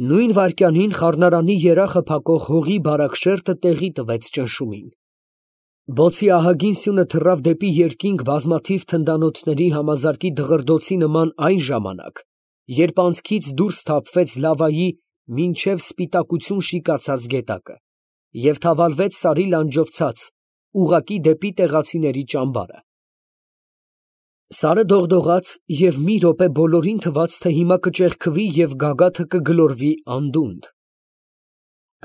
Նույն վայրկյանին խառնարանի երախը փակող հողի բարակ շերտը տեղի տվեց ճնշումին։ Բոցի ահագին սյունը թռավ դեպի երկինք բազմաթիվ թնդանոթների համազարկի դղրդոցի նման այն ժամանակ, երբ անցքից դուրս թափվեց լավայի մինչև սպիտակություն շիկացած գետակը և թավալվեց սարի լանջով ցած, ուղղակի դեպի տեղացիների ճամբարը։ Սարը դողդողաց և մի րոպե բոլորին թվաց, թե հիմա կճեղքվի և գագաթը կգլորվի անդունդը։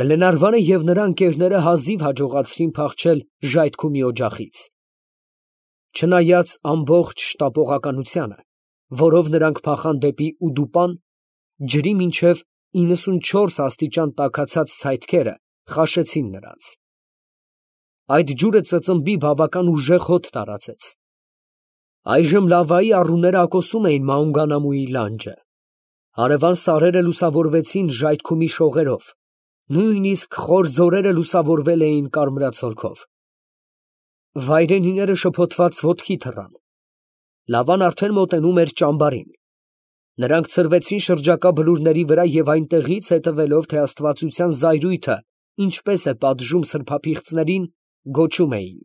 Գլենարվանը և նրա ընկերները հազիվ հաջողացրին փախչել ժայթքումի օջախից։ Չնայած ամբողջ շտապողականությանը, որով նրանք փախան դեպի Ուդուպան, ջրի մինչև 94 աստիճան տաքացած ցայտքերը խաշեցին նրանց։ Այդ ջուրը ծծմբի բավական ուժեղ հոտ տարածեց։ Այժմ լավայի առուները ակոսում էին Մաունգանամուի լանջը։ Հարևան սարերը լուսավորվեցին ժայթքումի շողերով, նույնիսկ խոր ձորերը լուսավորվել էին կարմրացորքով։ Վայրենիները շփոթված ոտքի թռան։ Լավան արդեն մոտենում էր ճամբարին։ Նրանք ցրվեցին շրջակա բլուրների վրա և այնտեղից հետևելով, թե աստվածության զայրույթը ինչպես է պատժում սրբապիղծներին, գոչում էին.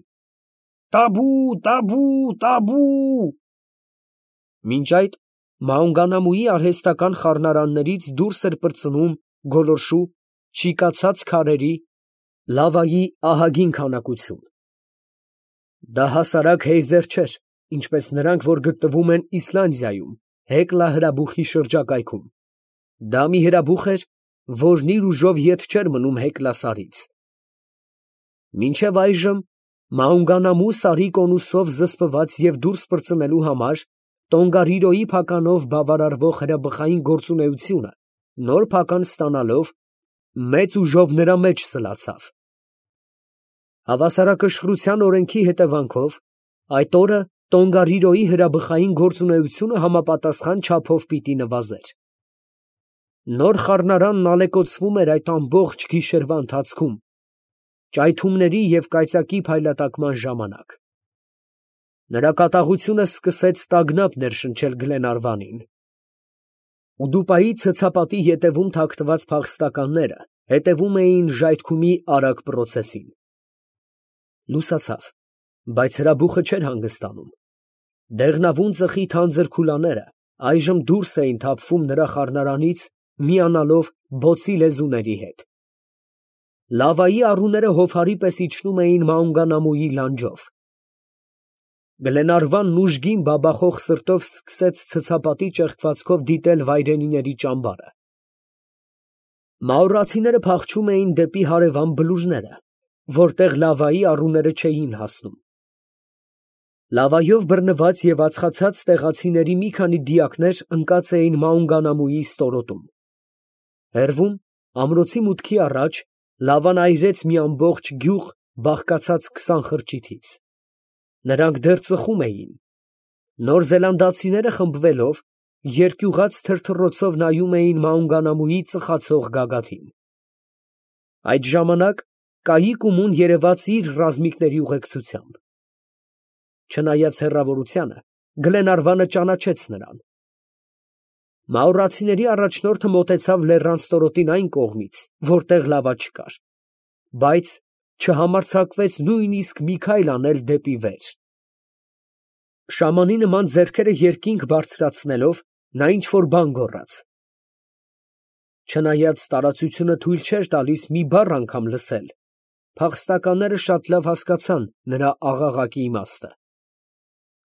«Տաբու, տաբու, տաբու»։ Մինչ այդ Մաունգանամուի արհեստական խառնարաններից դուրս էր պրծնում գոլորշու, շիկացած քարերի, լավայի ահագին քանակություն։ Դա հասարակ հեյզեր չէր, ինչպես նրանք, որ գտնվում են Իսլանդիայում, Հեկլա հրաբուխի շրջակայքում։ Դա մի հրաբուխ էր, որն իր ուժով ետ չէր մնում Հեկլա սարից։ Մինչև այժմ Մաունգանամու սարի կոնուսով զսպված և դուրս պրծնելու համար Տոնգարիրոյի փականով բավարարվող հրաբխային գործունեությունը, նոր փական ստանալով, մեծ ուժով նրա մեջ սլացավ։ Հավասարակշռության օրենքի հետևանքով, այդ օրը Տոնգարիրոյի հրաբխային գործունեությունը համապատասխան չափով պիտի նվազեր։ Նոր խառնարանն ալեկոծվում էր այդ ամբողջ գիշերվա ընթացքում, ճայթումների և կայծակի փայլատակման ժամանակ։ Նրա կատաղությունը սկսեց տագնապ ներշնչել Գլենարվանին։ Ուդուպայի ցցապատի ետևում թաքնված փախստականները հետևում էին ժայթքումի արագ պրոցեսին։ Լուսացավ, բայց հրաբուխը չէր հանգստանում։ Դեղնավուն ծխի թանձր քուլաները այժմ դուրս էին թափվում նրա խառնարանից, միանալով բոցի լեզուների հետ։ Լավայի առուները հովհարի պես իջնում էին Մաունգանամուի լանջով։ Գլենարվանն ուժգին բաբախող սրտով սկսեց ցցապատի ճեղքվածքով դիտել վայրենիների ճամբարը։ Մաուրացիները փախչում էին դեպի հարևան բլուրները, որտեղ լավայի առուները չէին հասնում։ Լավայով բռնված և ածխացած տեղացիների մի քանի դիակներ ընկած էին Մաունգանամուի ստորոտում։ Հեռվում, ամրոցի մուտքի առաջ, լավան այրեց մի ամբողջ գյուղ բաղկացած 20 խրճիթից։ Նրանք դեռ ծխում էին։ Նոր զելանդացիները խմբվելով, երկյուղած թրթռոցով նայում էին Մաունգանամուի ծխացող գագաթին։ Այդ ժամանակ Կայիկումուն երևաց իր ռազմիկների ուղեկցությամբ։ Չնայած հեռավորությանը, Գլենարվանը ճանաչեց նրան։ Մաուրացիների առաջնորդը մոտեցավ լեռան ստորոտին այն կողմից, որտեղ լավա չկար, բայց չհամարձակվեց նույնիսկ մի քայլ անել դեպի վեր։ Շամանի նման ձեռքերը երկինք բարձրացնելով, նա ինչ֊որ բան գոռաց։ Չնայած տարածությունը թույլ չէր տալիս մի բառ անգամ լսել, փախստականները շատ լավ հասկացան նրա աղաղակի իմաստը։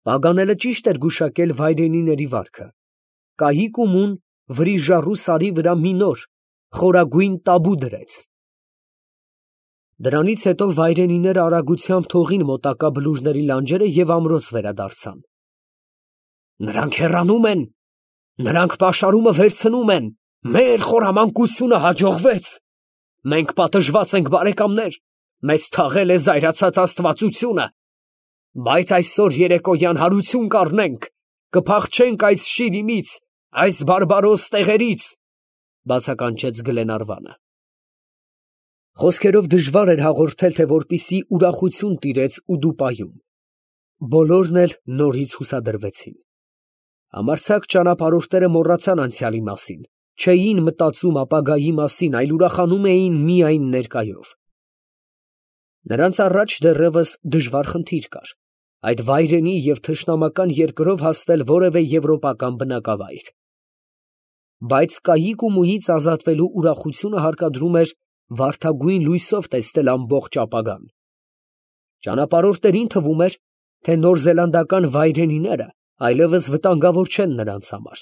Պագանելը ճիշտ էր գուշակել վայրենիների վարքը։ Կայիկումուն վրիժառու սարի վրա մի նոր, խորագույն տաբու դրեց։ Դրանից հետո վայրենիները արագությամբ թողին մոտակա բլուրների լանջերը և ամրոց վերադարձան։ Նրանք հեռանում են, նրանք պաշարումը վերցնում են, մեր խորամանկությունը հաջողվեց։ Մենք պատժված ենք, բարեկամներ, մեզ թաղել է զայրացած աստվածությունը, բայց այսօր երեկոյան հարություն կառնենք, կփախչենք այս շիրիմից, այս բարբարոս տեղերից, բացականչեց Գլենարվանը։ Խոսքերով դժվար էր հաղորդել, թե որպիսի ուրախություն տիրեց Ուդուպայում։ Բոլորն էլ նորից հուսադրվեցին։ Համարձակ ճանապարհորդները մոռացան անցյալի մասին չէին մտածում ապագայի մասին, այլ ուրախանում էին միայն ներկայով։ Նրանց առաջ դեռևս դժվար խնդիր կար, այդ վայրենի և թշնամական երկրով հասնել որևէ եվրոպական բնակավայր։ Բայց կայիկ ու մույից ազատվելու ուրախությունը հարկադրում էր վարդագույն լույսով տեսնել ամբողջ ապագան։ Ճանապարհորդներին թվում էր, թե նորզելանդական վայրենիները այլևս վտանգավոր չեն նրանց համար։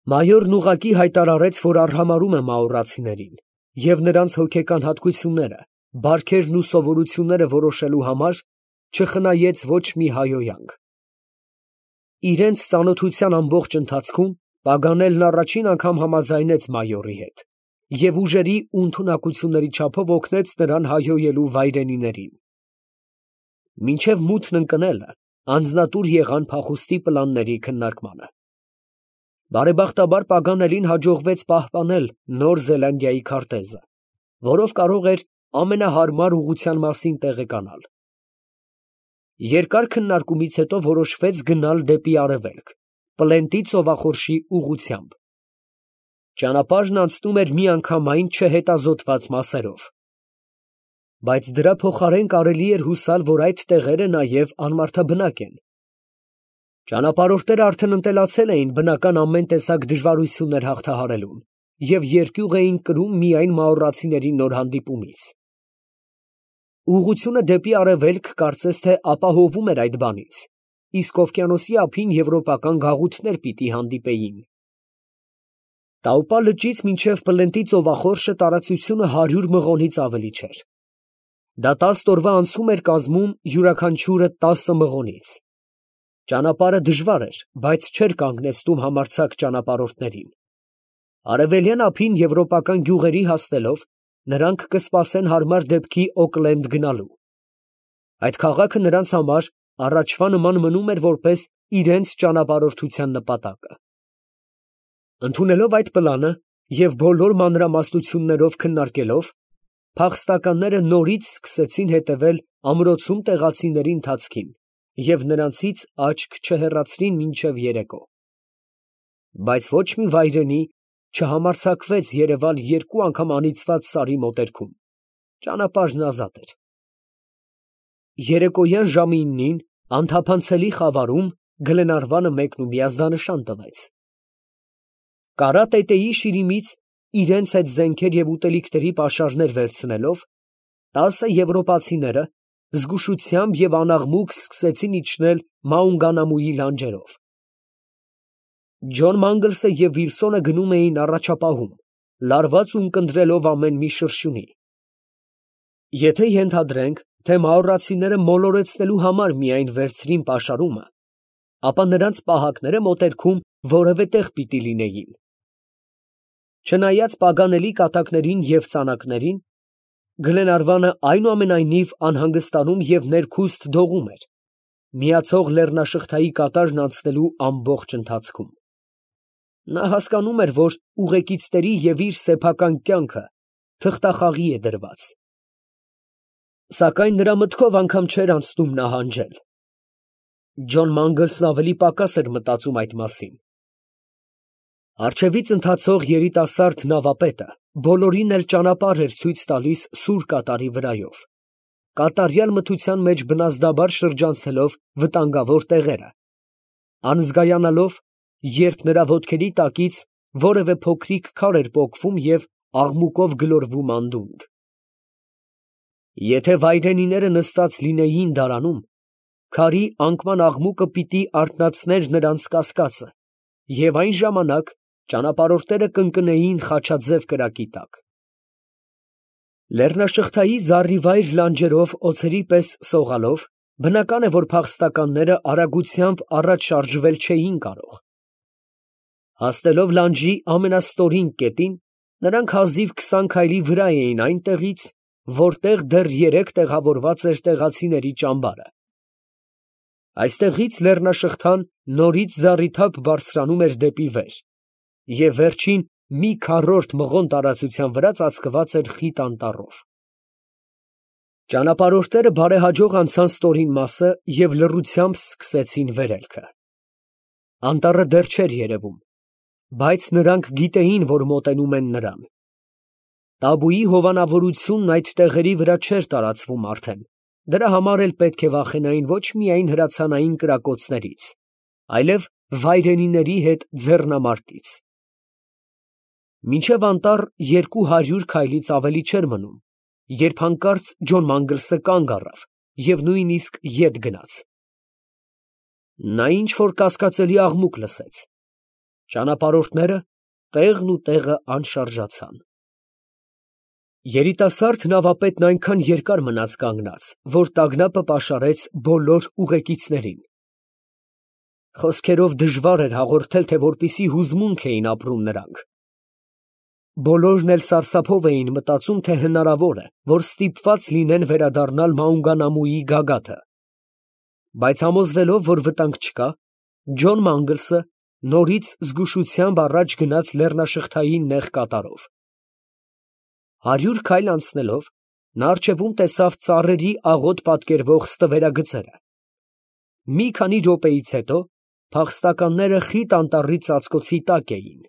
Մայորն ուղղակի հայտարարեց, որ արհամարհում է մաորացիներին և նրանց հոգեկան հատկությունները, բարքերն ու սովորությունները որոշելու համար չխնայեց ոչ մի հայհոյանք։ Իրենց ծանոթության ամբողջ ընթացքում Պագանելն առաջին անգամ համաձայնեց մայորի հետ և ուժերի ու ընդունակությունների չափով օգնեց նրան հայհոյելու վայրենիներին։ Մինչև մութն ընկնելը անձնատուր եղան փախուստի պլանների քննարկմանը։ Բարեբախտաբար Պագանելին հաջողվեց պահպանել Նոր Զելանդիայի քարտեզը, որով կարող էր ամենահարմար ուղղության մասին տեղեկանալ։ Երկար քննարկումից հետո որոշվեց գնալ դեպի արևելք, Պլենտի ծովախորշի ուղղությամբ։ Ճանապարհն անցնում էր միանգամայն չհետազոտված մասերով։ Բայց դրա փոխարեն կարելի էր հուսալ, որ այդ տեղերը նաև անմարդաբնակ են։ Ճանապարհորդները արդեն ընտելացել էին բնական ամեն տեսակ դժվարություններ հաղթահարելուն և երկյուղ էին կրում միայն մաորացիների նոր հանդիպումից։ Ուղղությունը դեպի արևելք կարծես թե ապահովում էր այդ բանից, իսկ օվկիանոսի ափին եվրոպական գաղութներ պիտի հանդիպեին։ Տաուպա լճից մինչև Պլենտի ծովախորշը տարածությունը 100 մղոնից ավելի չէր։ Դա 10 օրվա անցում էր կազմում յուրաքանչյուրը 10 մղոնից։ Ճանապարհը դժվար էր, բայց չէր կանգնեցնում համարձակ ճանապարհորդներին։ Արևելյան ափին եվրոպական գյուղերի հասնելով, նրանք կսպասեն հարմար դեպքի Օքլենդ գնալու։ Այդ քաղաքը նրանց համար առաջվա նման մնում էր որպես իրենց ճանապարհորդության նպատակը։ Ընդունելով այդ պլանը և բոլոր մանրամասնություններով քննարկելով, փախստականները նորից սկսեցին հետևել ամրոցում տեղացիների ընթացքին և նրանցից աչք չհեռացրին մինչև երեկո։ Բայց ոչ մի վայրենի չհամարձակվեց երևալ 2 անգամ անիծված սարի մոտերքում։ Ճանապարհն ազատ էր։ Երեկոյան ժամը 9-ին անթափանցելի խավարում Գլենարվանը մեկնումի ազդանշան տվեց։ Կարա տետեի շիրիմից իրենց հետ զենքեր և ուտելիքների պաշարներ վերցնելով, 10 եվրոպացիները զգուշությամբ և անաղմուկ սկսեցին իջնել Մաունգանամուի լանջերով։ Ջոն Մանգլսը և Վիլսոնը գնում էին առաջապահում, լարված ու ունկնդրելով ամեն մի շրշյունի։ Եթե ենթադրենք, թե մաորացիները մոլորեցնելու համար միայն վերցրին պաշարումը, ապա նրանց պահակները մոտերքում որևէ տեղ պիտի լինեին։ Չնայած Պագանելի կատակներին և ծանակներին, Գլենարվանը այնուամենայնիվ անհանգստանում և ներքուստ դողում էր, միացող լեռնաշղթայի կատարն անցնելու ամբողջ ընթացքում։ Նա հասկանում էր, որ ուղեկիցների և իր սեփական կյանքը թղթախաղի է դրված։ Սակայն նրա մտքով անգամ չէր անցնում նահանջել։ Ջոն Մանգլսն ավելի պակաս էր մտածում այդ մասին։ Առջևից ընթացող երիտասարդ նավապետը բոլորին էլ ճանապարհ էր ցույց տալիս սուր կատարի վրայով, կատարյալ մթության մեջ բնազդաբար շրջանցելով վտանգավոր տեղերը, անզգայանալով, երբ նրա ոտքերի տակից որևէ փոքրիկ քար էր պոկվում և աղմուկով գլորվում անդունդ։ Եթե վայրենիները նստած լինեին դարանում, քարի անկման աղմուկը պիտի արթնացներ նրանց կասկածը, և այն ժամանակ ճանապարհորդները կընկնեին խաչաձև կրակի տակ։ Լեռնաշղթայի զառիվայր լանջերով օձերի պես սողալով, բնական է, որ փախստականները արագությամբ առաջ շարժվել չէին կարող։ Հասնելով լանջի ամենաստորին կետին, նրանք հազիվ 20 քայլի վրա էին այնտեղից, որտեղ դեռ 3 տեղավորված էր տեղացիների ճամբարը։ Այստեղից լեռնաշղթան նորից զառիթափ բարձրանում էր դեպի վեր, և վերջին մի քառորդ մղոն տարածության վրա ծածկված էր խիտ անտառով։ Ճանապարհորդները բարեհաջող անցան ստորին մասը և լռությամբ սկսեցին վերելքը։ Անտառը դեռ չէր երևում, Բայց նրանք գիտեին, որ մոտենում են նրան։ Տաբուի հովանավորությունն այդ տեղերի վրա չէր տարածվում արդեն, դրա համար էլ պետք է վախենային ոչ միայն հրացանային կրակոցներից, այլև վայրենիների հետ ձեռնամարտից։ Մինչև անտառ 200 քայլից ավելի չէր մնում, երբ հանկարծ Ջոն Մանգլսը կանգ առավ և նույնիսկ ետ գնաց։ Նա ինչ֊որ կասկածելի աղմուկ լսեց։ Ճանապարհորդները տեղն ու տեղը անշարժացան։ Երիտասարդ նավապետն այնքան երկար մնաց կանգնած, որ տագնապը պաշարեց բոլոր ուղեկիցներին։ Խոսքերով դժվար էր հաղորդել, թե որպիսի հուզմունք էին ապրում նրանք։ Բոլորն էլ սարսափով էին մտածում, թե հնարավոր է, որ ստիպված լինեն վերադառնալ Մաունգանամուի գագաթը։ Բայց համոզվելով, որ վտանգ չկա, Ջոն Մանգլսը նորից զգուշությամբ առաջ գնաց լեռնաշղթայի նեղ կատարով։ 100 քայլ անցնելով, նա առջևում տեսավ ծառերի աղոտ պատկերվող ստվերագծերը։ Մի քանի րոպեից հետո փախստականները խիտ անտառի ծածկոցի տակ էին։